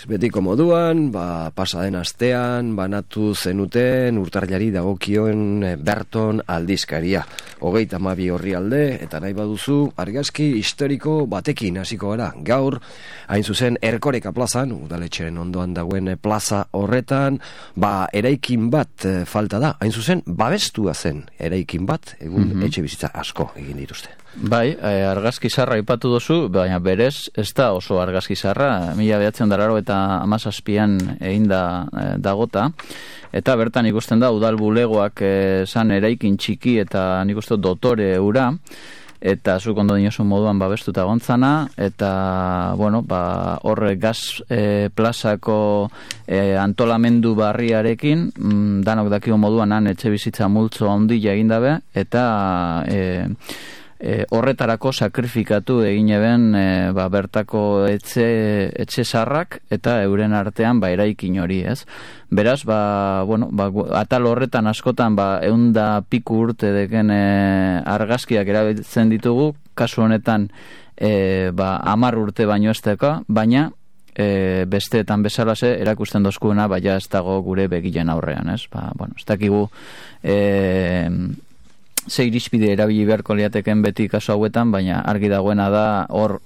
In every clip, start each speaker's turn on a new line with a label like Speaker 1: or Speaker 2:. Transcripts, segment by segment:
Speaker 1: Betiko moduan, pasaden astean, banatu zenuten urtarrilari dagokioen Berton aldizkaria. 32 orrialde, eta nahi baduzu, argazki historiko batekin hasiko gara. Gaur, hain zuzen, Erkoreka plazan, udaletxeren ondoan dagoen plaza horretan, eraikin bat falta da. Hain zuzen, babestua zen eraikin bat, egun etxe bizitza asko egin dituzte.
Speaker 2: Bai, argazki zarra ipatu duzu, baina berez ez da oso argazki zarra, 1987an egin dagota, eta bertan ikusten da udal bulegoak zan eraikin txiki eta nik uste dotore eura, eta zuk ondo dinosun moduan babestuta gontzana, eta horre gaz plazako antolamendu barriarekin, danok dakio moduan han etxe bizitza multzo handia egin dabe, eta horretarako sakrifikatu egin eben bertako etxe zarrak eta euren artean eraikin hori, ez? Beraz, atal horretan askotan 100 piku urte deken argazkiak erabiltzen ditugu, kasu honetan 10 urte baino ez deka, baina besteetan bezalase erakusten dozkuena ja ez dago gure begilen aurrean, ez? Ez dakigu ze irizpide erabili beharko liateken beti kasu hauetan, baina argi dagoena da hor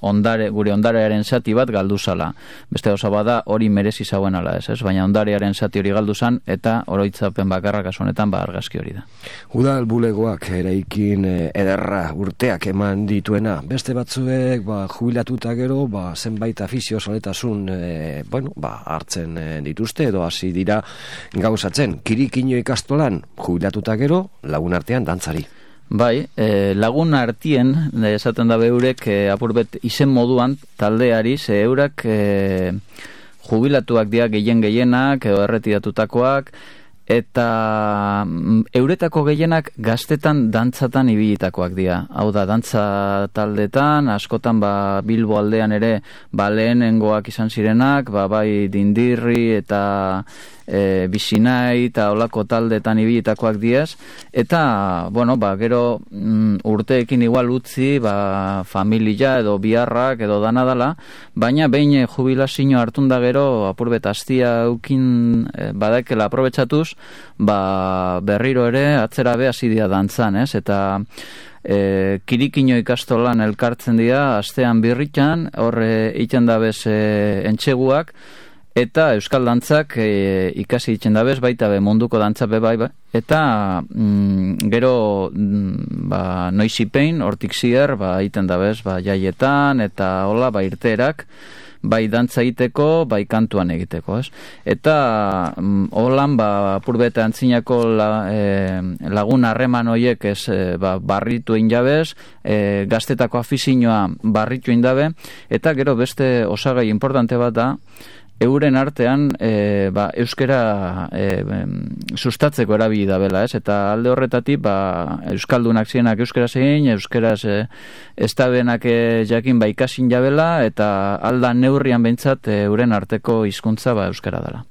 Speaker 2: gure ondarearen zati bat galdu zala. Beste gauza bada hori merezi zauen ala ez, baina ondarearen zati hori galdu zan, eta oroitzapen bakarra kasu honetan argazki hori da.
Speaker 1: Udal bulegoak eraikin ederra urteak eman dituena, beste batzuek jubilatuta gero zenbait afizio saletasun hartzen dituzte edo hasi dira gauzatzen. Kirikino ikastolan jubilatuta gero lagun artean dantzari.
Speaker 2: Bai, lagun artien, esaten da beurek, apurbet izen moduan taldeari, ze eurak jubilatuak dira gehienak, edo erretiratutakoak, eta euretako gehienak gaztetan dantzatan ibilitakoak dira. Hau da, dantza taldetan, askotan Bilbo aldean ere lehenengoak izan zirenak, bai dindirri eta bizinai eta olako taldetan ibilitakoak diaz, eta gero urteekin igual utzi familia edo biharrak edo danadala, baina behin jubilazio hartun da gero apurbet astia eukin badakela aprobetsatuz, berriro ere atzera be hasi dira dantzan, ez? Eta kirikino ikastolan elkartzen dira astean birritan, horre iten dabez entxeguak, eta euskal dantzak ikasi ditzen dabez, baita munduko dantza bai, eta gero noizipein, hortik zier, iten dabez, jaietan, eta hola, irteerak, bai dantza egiteko, bai kantuan egiteko, ez? Eta holan, apurbete antzinako lagun harreman horiek barritu egin jabez, gaztetako afizioa barritu egin dabe, eta gero beste osagai importante bat da, euren artean euskera sustatzeko erabili dabela, ez? Eta alde horretatik euskaldunak zienak euskera zein, euskeraz estabenak jakin ikasin jabela, eta alda neurrian behintzat euren arteko hizkuntza euskera dela.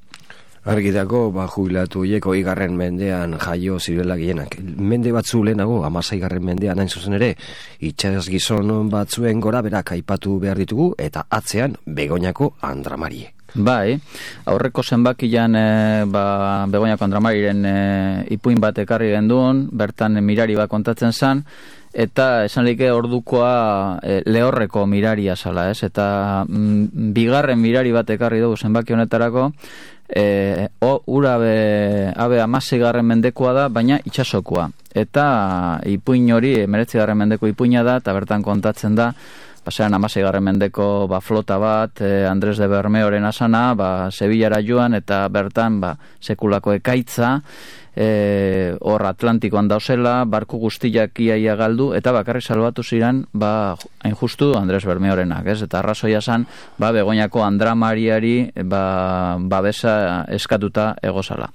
Speaker 1: Argitako, jubilatu hiek 20. mendean jaio zirela gehienak. Mende batzu lehenago, 16. mendean hain zuzen ere, itxas gizon batzuen gora berak aipatu behar ditugu, eta atzean Begoñako Andramari.
Speaker 2: Bai, aurreko zenbakian Begoñako Andramariren ipuin bat ekarri genduen, bertan mirari bat kontatzen zan, eta esan like ordukoa lehorreko miraria zala, ez? Eta bigarren mirari bat ekarri dugu zenbaki honetarako, ura abe 16. mendekoa da, baina itxasokoa. Eta ipuin hori 19. mendeko ipuina da, eta bertan kontatzen da, pasean 16. mendeko flota bat, Andres de Bermeoren asana, Sevillara joan, eta bertan sekulako ekaitza, hor Atlantikoan dauzela, barku guztiak iaia galdu, eta bakarrik salbatu ziren, hain justu Andres Bermeorenak, ez? Eta arrazoia zan, Begoñako Andramariari babesa eskatuta egozala.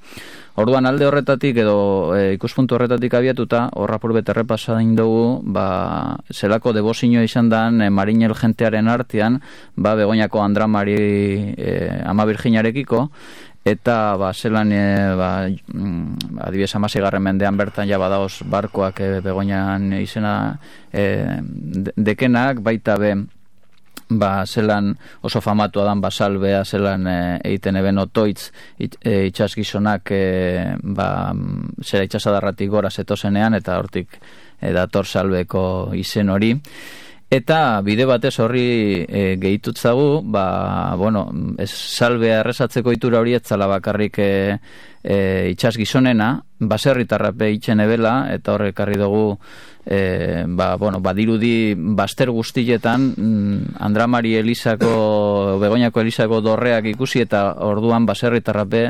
Speaker 2: Orduan alde horretatik edo ikuspuntu horretatik abiatuta, horra purbet errepasain dugu, zelako debozio izan dan marinel jentearen artean, Begoñako Andramari ama Virginiarekiko, eta zelan adibidez 16. mendean bertan badaoz barkoak Begoñan izena dekenak, baita zelan oso famatua dan basalbea, zelan egiten eben otoitz itxas gizonak zera itxasadarratik gora zetozenean, eta hortik dator salbeko izen hori. Eta bide batez horri gehitutzagu, salbea errezatzeko itura hori etzala bakarrik itxas gizonena, baserritarrape itxen ebela, eta horrek ekarri dugu badirudi baster guztietan Andramari Elizako, Begoñako Elizako dorreak ikusi, eta orduan baserritarrape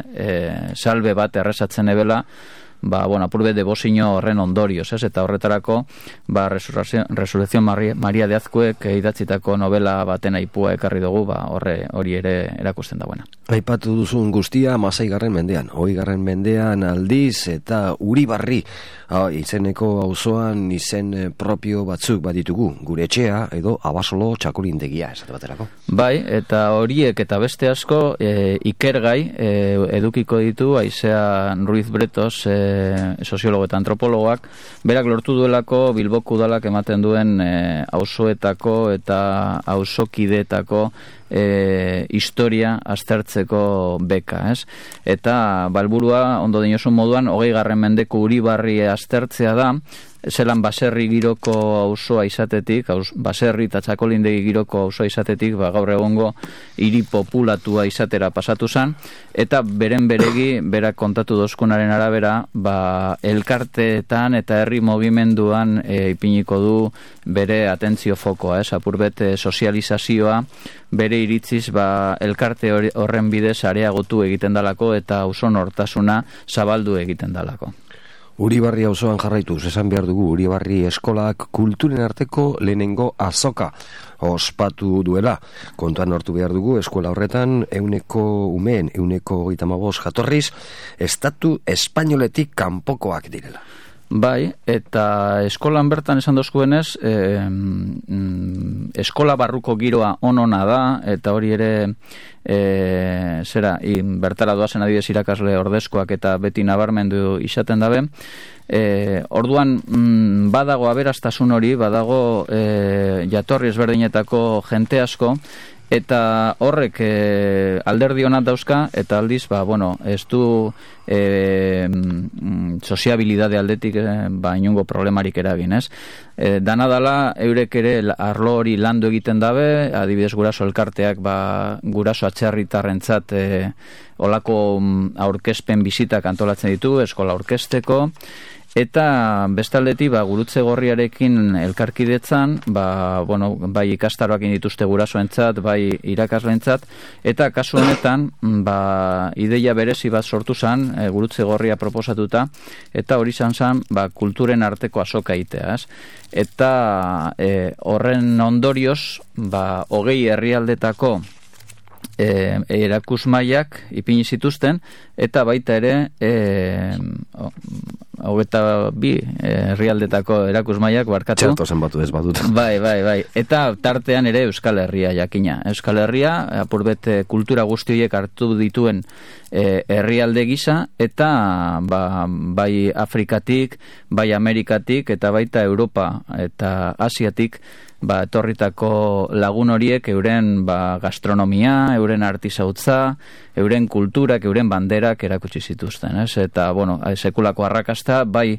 Speaker 2: salbe bat errezatzen ebela, apurbe debozio horren ondorioz, eta horretarako Resurrección Maria de Azkuek idatzitako novela baten aipua ekarri dugu, hori ere erakusten dagoena.
Speaker 1: Aipatu duzun guztia 16. mendean, 20. mendean aldiz, eta Uribarri izeneko auzoan izen propio batzuk baditugu, gure etxea edo Abasolo txakolindegia, esate baterako.
Speaker 2: Bai, eta horiek eta beste asko ikergai edukiko ditu Aizea Ruiz Bretos, soziologo eta antropologoak, berak lortu duelako Bilboko udalak ematen duen auzoetako eta auzokideetako historia aztertzeko beka, ez? Eta balburua, ondo dinosun moduan, 20. mendeko Uribarri aztertzea da, zelan baserri giroko auzoa izatetik, baserri eta txakolindegi giroko auzoa izatetik, gaur egongo hiri populatua izatera pasatu zen, eta beren beregi, berak kontatu dozkunaren arabera, elkarteetan eta herri mugimenduan ipiniko du bere atentzio fokoa, apurbet sozializazioa, bere iritziz elkarte horren bidez areagotu egiten dalako eta auzo nortasuna zabaldu egiten dalako.
Speaker 1: Uribarri auzoan jarraituz, esan behar dugu, Uribarri eskolak kulturen arteko lehenengo azoka ospatu duela. Kontuan hartu behar dugu, eskola horretan 135 jatorriz, estatu espainoletik kanpokoak direla.
Speaker 2: Bai, eta eskolan bertan esan dozkuenez, eskola barruko giroa onona da, eta hori ere bertara doazen adibidez irakasle ordezkoak eta beti nabarmendu izaten dabe. Orduan badago aberastasun hori, badago jatorri ezberdinetako jente asko, eta horrek alderdi onak dauzka, eta aldiz, ez du soziabilidade aldetik inongo problemarik eragin, ez? Dana dala, eurek ere arlo hori landu egiten dabe, adibidez guraso elkarteak, guraso atxerritarrentzat olako aurkezpen bizitak antolatzen ditu, eskola aurkezteko, eta bestaldetik gurutze gorriarekin elkarkidetzan, bai ikastaroak dituzte gurasoentzat, bai irakaslentzat, eta kasu honetan ideia berezi bat sortu zen, gurutze gorria proposatuta, eta hori zen kulturen arteko azoka egitea, eta horren ondorioz 20 herrialdetako erakusmaiak ipini zituzten, eta baita ere 22 herrialdetako erakusmaiak barkatu.
Speaker 1: Txerto zenbatu ez badut.
Speaker 2: Bai. Eta tartean ere Euskal Herria jakina. Euskal Herria, apurbet kultura guztiek hartu dituen herrialde gisa, eta bai Afrikatik, bai Amerikatik, eta baita Europa eta Asiatik etorritako lagun horiek euren gastronomia, euren artisautza, euren kulturak, euren banderak erakutsi zituzten, ez? Eta, sekulako arrakasta, bai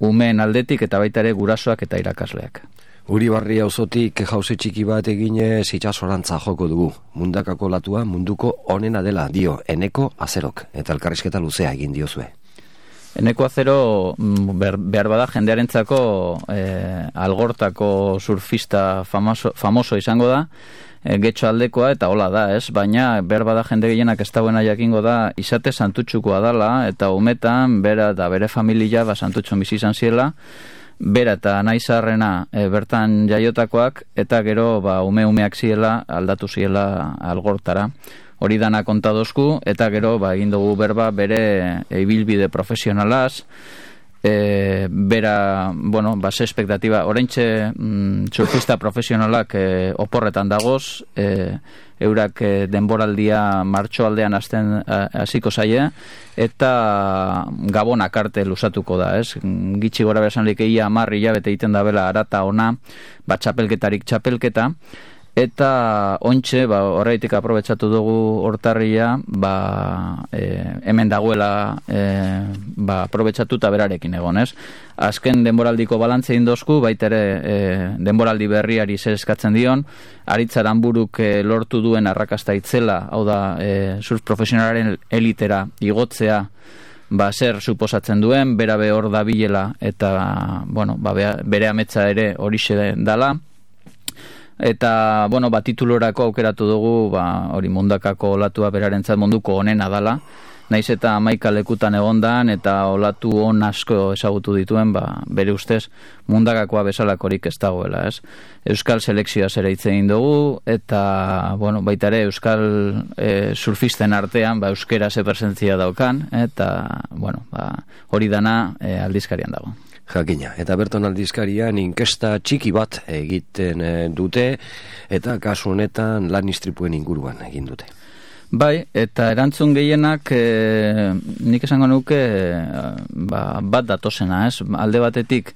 Speaker 2: umeen aldetik eta baita ere gurasoak eta irakasleak.
Speaker 1: Uribarri auzotik jauzi txiki bat eginez itsasorantza joko dugu. Mundakako latua munduko onena dela dio Eneko Azerok, eta elkarrizketa luzea egin diozue.
Speaker 2: Eneko Azero behar bada jendearentzako algortako surfista famoso izango da, getxo aldekoa eta hola da, ez? Baina behar bada jende gehienak ez dagoena jakingo da izate santutxukoa dala, eta umetan bera eta bere familia santutxon bizi izan ziela, bera eta naizarrena bertan jaiotakoak, eta gero umeak ziela aldatu ziela algortara. Hori dana kontadozku, eta gero egin dugu berba bere ibilbide profesionalaz, bera, bueno, base espektatiba, oraintxe surfista profesionalak oporretan dagoz, eurak denboraldia martxoaldean hasiko zaie, eta Gabonak arte lusatuko da, ez? Gitxi gora berazanlik ia 10 hilabete egiten da bela arata ona, txapelketarik txapelketa, eta ontxe, horreitik aprobetxatu dugu hortarria, hemen dagoela aprobetxatuta berarekin egon, ez? Azken denboraldiko balantze indozku, baitere denboraldi berriari zer eskatzen dion, Aritzaran buruk lortu duen arrakasta itzela, hau da, surf profesionalaren elitera igotzea, zer suposatzen duen, berabe hor dabilela, eta, bueno, bere ametsa ere horixe dala, eta, bueno, titulorako aukeratu dugu, hori mundakako olatua berarentzat munduko onena dala, naiz eta 11 lekutan egondan, eta olatu on asko ezagutu dituen, bere ustez mundakakoa bezalakorik ez dagoela, ez? Euskal selekzioa zere hitz egin dugu, eta, bueno, baita ere euskal surfisten artean, euskera ze presentzia daukan, eta, bueno, hori dana aldizkarian dago.
Speaker 1: Jakina, eta berton aldizkarian inkesta txiki bat egiten dute, eta kasu honetan lan istripuen inguruan egin dute.
Speaker 2: Bai, eta erantzun gehienak nik esango nuke bat datosena, ez? Alde batetik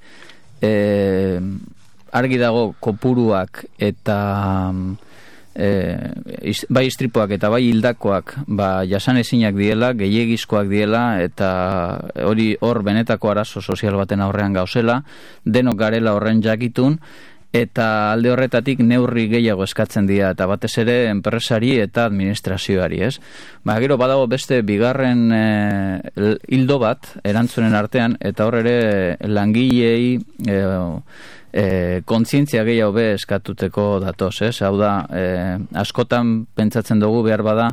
Speaker 2: argi dago kopuruak eta bai istripuak eta bai hildakoak jasanezinak diela, gehiegizkoak diela, eta hor benetako arazo sozial baten aurrean gauzela, denok garela horren jakitun, eta alde horretatik neurri gehiago eskatzen dira, eta batez ere enpresari eta administrazioari, ez? Gero badago beste bigarren hildo bat erantzunen artean, eta hor ere langilei kontzientzia gehiago be eskatuteko datoz, ez? Hau da, askotan pentsatzen dugu behar bada,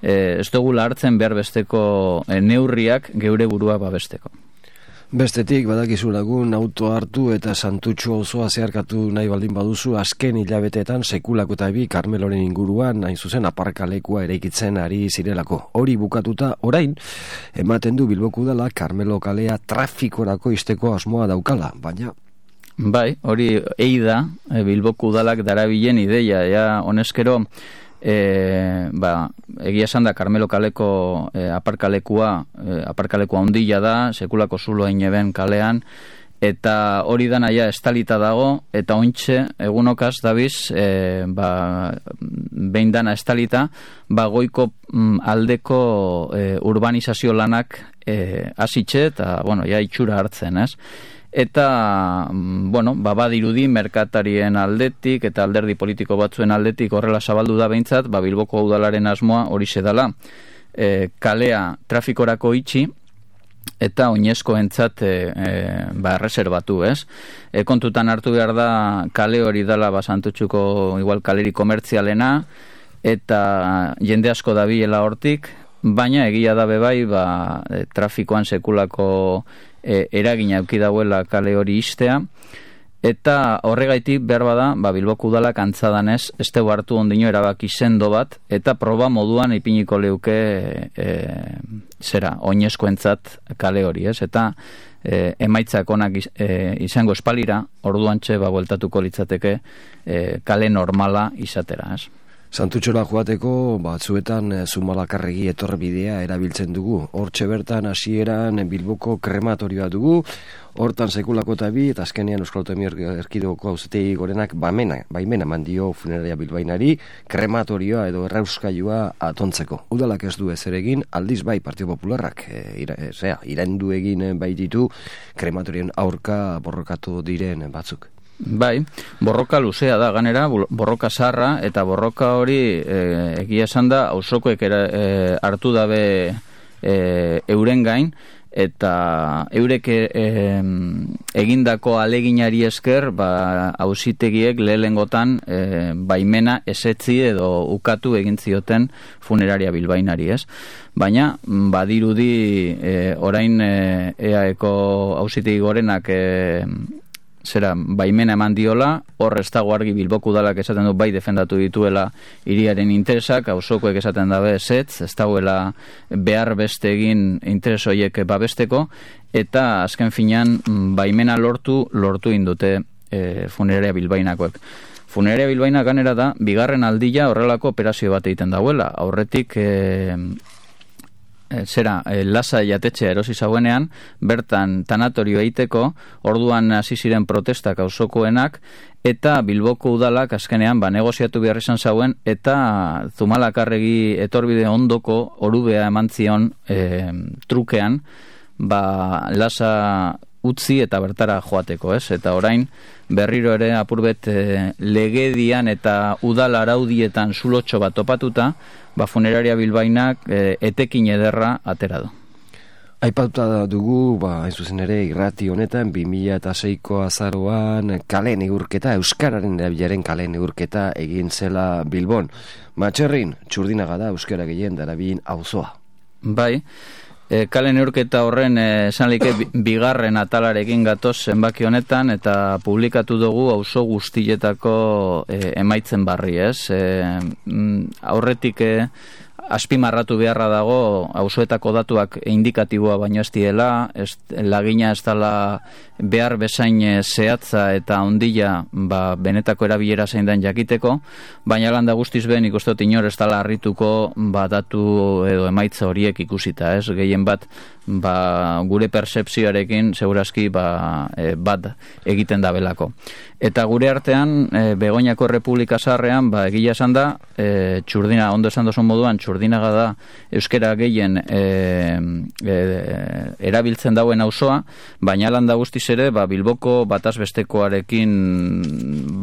Speaker 2: ez dugula hartzen behar besteko neurriak geure burua babesteko.
Speaker 1: Bestetik, badakizu lagun, auto hartu eta Santutxu osoa zeharkatu nahi baldin baduzu, azken hilabeteetan sekulako eta Karmeloren inguruan, hain zuzen aparkalekua eraikitzen ari zirelako. Hori bukatuta, orain, ematen du Bilboko Udala Karmelo kalea trafikorako izteko asmoa daukala, baina...
Speaker 2: Bai, hori da, Bilboko Udalak darabilen ideia, honezkero, egia esan da Karmelo kaleko aparkalekua ondila da, sekulako zulo eineben kalean, eta hori dana estalita dago, eta ointxe egunokaz dabiz behin dana estalita, goiko aldeko urbanizazio lanak hasitxe, eta itxura hartzen, ez? Eta, badirudi merkatarien aldetik eta alderdi politiko batzuen aldetik horrela zabaldu da behintzat, Bilboko Udalaren asmoa horixe dela, kalea trafikorako itxi eta oinezkoentzat erreserbatu, ez? Kontutan hartu behar da kale hori dela Santutxuko igual kaleri komertzialena, eta jende asko dabilela hortik, baina egia da bebai trafikoan sekulako eragina euki dauela kale hori istea, eta horregaitik behar bada Bilboko Udalak antzadanez ez dugu hartu ondino erabaki sendo bat, eta proba moduan ipiniko leuke oinezkoentzat kale hori, ez? Eta emaitzak onak izango espalira, orduantxe bueltatuko litzateke kale normala izatera, ez?
Speaker 1: Santutxora joateko, batzuetan Zumalakarregi etorbidea erabiltzen dugu. Hortxe bertan hasieran Bilboko krematorioa dugu, hortan sekulako eta azkenean Euskal Autonomia Erkidegoko Auzitegi Gorenak baimena mandio funeraria bilbainari krematorioa edo errauskailua atontzeko. Udalak ez du ezer egin, aldiz bai Partido Popularrak iraindu egin baititu krematorien aurka borrokatu diren batzuk.
Speaker 2: Bai, borroka luzea da, ganera, borroka zarra, eta borroka hori egia esan da, auzokoek hartu dabe euren gain, eta eurek egindako aleginari esker, auzitegiek lehengotan baimena esetzi edo ukatu egin zioten funeraria bilbainari, ez? Baina, badirudi orain EAeko Auzitegi Gorenak baimena eman diola, hor ez dago argi Bilboko udalak esaten du bai defendatu dituela hiriaren interesak, auzokoek esaten dabe ez dagoela behar beste egin interes horiek babesteko, eta azken finean baimena lortu indute funeraria bilbainakoek. Funeraria Bilbaina ganera da, bigarren aldia horrelako operazio bat egiten dauela. Aurretik Lasa jatetxea erosi zauenean, bertan tanatorio egiteko, orduan hasi ziren protestak auzokoenak, eta Bilboko udalak azkenean negoziatu behar izan zauen, eta Zumalakarregi etorbide ondoko orubea eman zion trukean, Lasa utzi eta bertara joateko, ez? Eta orain berriro ere apurbet legedian eta udal araudietan zulotxo bat topatuta, funeraria Bilbainak etekin ederra atera du.
Speaker 1: Aipatuta dugu, hain zuzen ere, irrati honetan 2006ko azaroan kale neurketa, euskararen erabilaren kale neurketa egin zela Bilbon. Matxerrin, Txurdinaga da euskara gehien darabilin auzoa.
Speaker 2: Bai, kale neurketa horren esanlike bigarren atalarekin gatoz zenbaki honetan, eta publikatu dugu auzo guztietako emaitzen barri, ez? Aurretik azpimarratu beharra dago auzoetako datuak indikatiboa baino ez diela, lagina ez dela behar bezain zehatza eta ondila benetako erabilera zein den jakiteko, baina landa guztiz ben ikustot inor ez dela harrituko datu edo emaitza horiek ikusita, ez? Gehien bat gure percepzioarekin segurazki bat egiten da belako. Eta gure artean, Begoñako Errepublika Zaharrean, egia esan da, Txurdina, ondo esan dozun moduan, Txurdinaga da euskera gehien erabiltzen dauen auzoa, baina landa guztiz ere, Bilboko batazbestekoarekin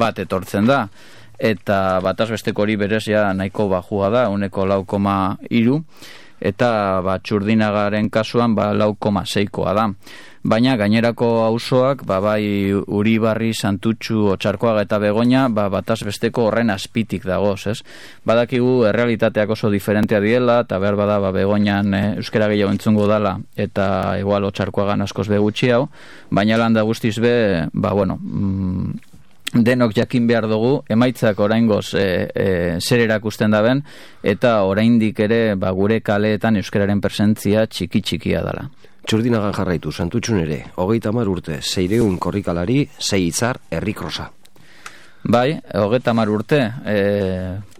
Speaker 2: bat etortzen da, eta batazbesteko hori berez ja nahiko bajua da, 1,3, eta Txurdinagaren kasuan 4,6koa da. Baina gainerako auzoak, bai Uribarri, Santutxu, Otsarkoaga eta Begoña, batazbesteko horren azpitik dagoz, ez? Badakigu errealitateak oso diferentea diela, eta behar bada Begoñan euskera gehiago entzungo dala, eta igual Otsarkoagan askoz begutxi hau, baina landa guztiz denok jakin behar dugu, emaitzak oraingoz zer erakusten daben, eta oraindik ere gure kaleetan euskararen presentzia txiki-txikia dela.
Speaker 1: Txurdinagan jarraitu, Santutxun ere, 30 urte, 600 korrikalari, 6 hitzar, herrikrosa.
Speaker 2: Bai, 30 urte,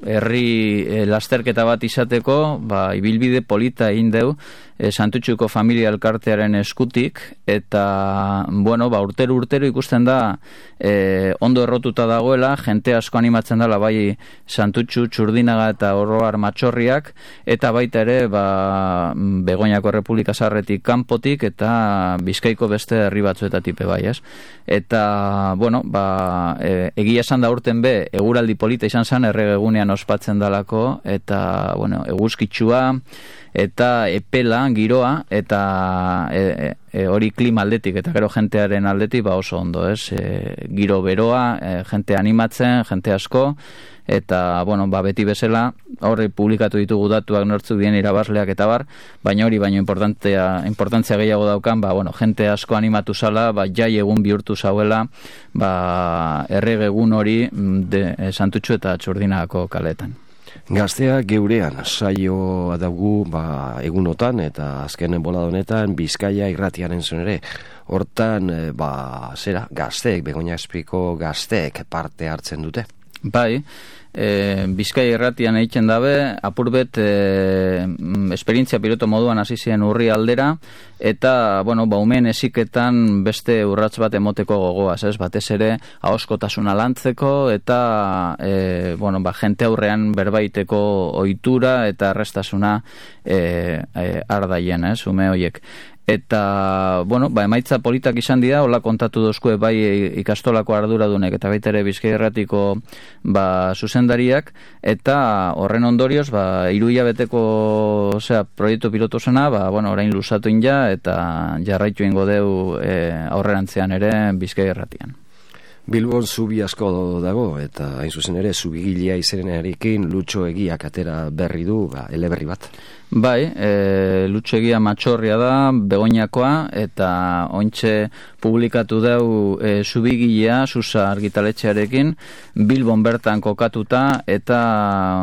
Speaker 2: herri lasterketa bat izateko, ibilbide polita egin deu, Santutxuko familia elkartearen eskutik, eta, urtero ikusten da, ondo errotuta dagoela, jente asko animatzen dela, bai Santutxu, Txurdinaga eta Oroar Matxorriak, eta baita ere, Begoñako Errepublika Zaharretik kanpotik, eta Bizkaiko beste herri batzuetatik bai, ez? Eta, egia esan da urten eguraldi polita izan zen, erregegunean ospatzen dalako, eta, eguzkitsua, eta epela, giroa, eta hori klima aldetik, eta gero jentearen aldetik oso ondo, ez? Giro beroa, jente animatzen, jente asko, eta, beti bezala, horri publikatu ditugu datuak nortzuk dien irabazleak eta baina hori baino importantzia gehiago daukan, jente asko animatu zala, jai egun bihurtu zauela, errege egun hori Santutxu eta Txurdinagako kaleetan.
Speaker 1: Gaztea geurean saioa daugu egunotan eta azkenen bolada honetan Bizkaia irratiaren zuen ere. Hortan, gazteek, Begoña Espiko gazteek parte hartzen dute.
Speaker 2: Bai, Bizkaia irratian egiten dabe, apurbet esperientzia piloto moduan hasi ziren urri aldera, eta, umeen eziketan beste urrats bat emoteko gogoaz, ez? Batez ere, ahoskotasuna lantzeko, eta, jente aurrean berbaiteko ohitura eta errestasuna ardaien, ez? Ume horiek. Eta, emaitza politak izan dira, hola kontatu dozkue bai ikastolako arduradunek eta baita ere Bizkaia irratiko zuzendariak, eta horren ondorioz, 3 hilabeteko proiektu pilotu zena, orain luzatu inja, eta jarraitu ingo deu aurrerantzean ere Bizkaia irratian.
Speaker 1: Bilbon zubi asko dago, eta hain zuzen ere zubigilea izenenarekin Lutxo Egiak atera berri du, eleberri bat.
Speaker 2: Bai, Lutxo Egia Matxorria da, Begoñakoa, eta ointxe publikatu dau Zubigilea, Susa argitaletxearekin, Bilbon bertan kokatuta, eta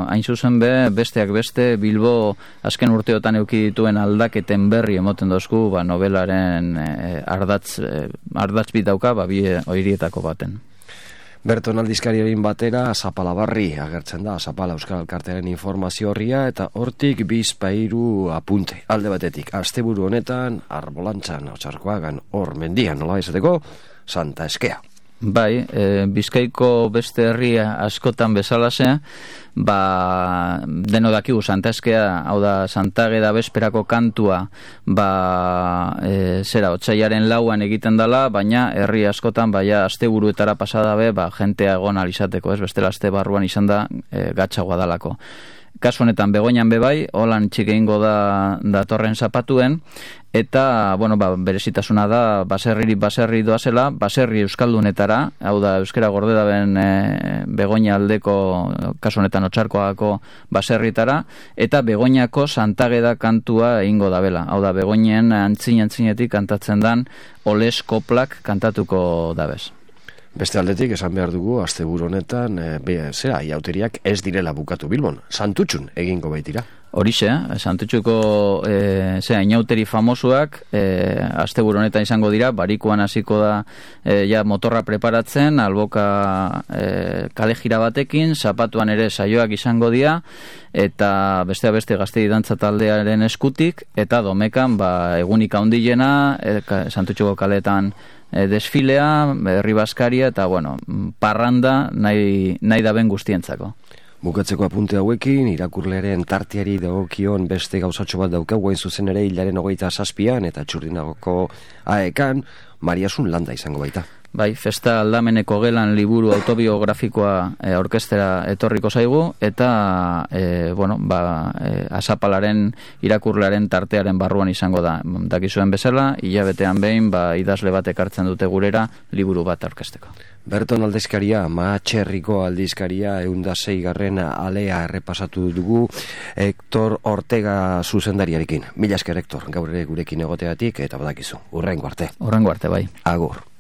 Speaker 2: hain zuzen besteak beste, Bilbo azken urteotan eduki dituen aldaketen berri emoten dozku, novelaren ardatz bitauka, bi horietako baten.
Speaker 1: Berton aldizkariaren batera Zapalabarri agertzen da, Zapala Euskal Elkartearen informazio horria, eta hortik bizpairu apunte. Alde batetik, asteburu honetan, Arbolantzan, Otsarkoagan, hor mendian, nola izateko, Santa Eskea.
Speaker 2: Bai, Bizkaiko beste herria askotan bezalase, deno dakigu Santa Eskea, hau da Santageda besperako kantua, otsailaren 4 egiten dela, baina herri askotan, asteburuetara pasada jentea egon alizateko, bestela aste barruan izan da gatzagoa dalako. Kasu honetan Begoñan bai, holan txikeingo da datorren zapatuen, eta, berezitasuna da, baserri doazela, baserri euskaldunetara, hau da, euskera gorde daben Begoña aldeko, kasu honetan Otsarkoagako baserritara, eta Begoñako Santageda kantua egingo dabela, hau da, Begoñen antzinetik kantatzen dan, Oles koplak kantatuko dabez.
Speaker 1: Beste aldetik, esan behar dugu, asteburu honetan, iauteriak ez direla bukatu Bilbon, Santutxun egingo baitira.
Speaker 2: Horixe, Santutxuko inauteri famosuak, asteburu honetan izango dira, barikuan hasiko da motorra preparatzen, alboka kale jira batekin, zapatuan ere saioak izango dira, eta beste gaztei dantza taldearen eskutik, eta domekan egunik handiena, Santutxuko kaletan desfilea, herri baskaria, eta parranda nahi daben guztientzako.
Speaker 1: Bukatzeko apunte hauekin, irakurlearen tarteari dagokion beste gauzatxo bat dauka, guain zuzen ere hilaren 27an eta Txurdinagoko aekan, Mariasun Landa izango baita.
Speaker 2: Bai, Festa Aldameneko gelan liburu autobiografikoa orkestera etorriko zaigu, eta Azapalaren irakurlearen tartearen barruan izango da. Dakizuen bezala, hilabetean behin idazle bat ekartzen dute gurera liburu bat orkesteko.
Speaker 1: Berton aldizkaria, Mahatxerriko aldizkaria 106. alea errepasatu dugu Hector Ortega zuzendariarekin. Mila esker, Hector, gaur ere gurekin egoteatik, eta badakizu, hurrengo arte.
Speaker 2: Hurrengo arte, bai.
Speaker 1: Agur.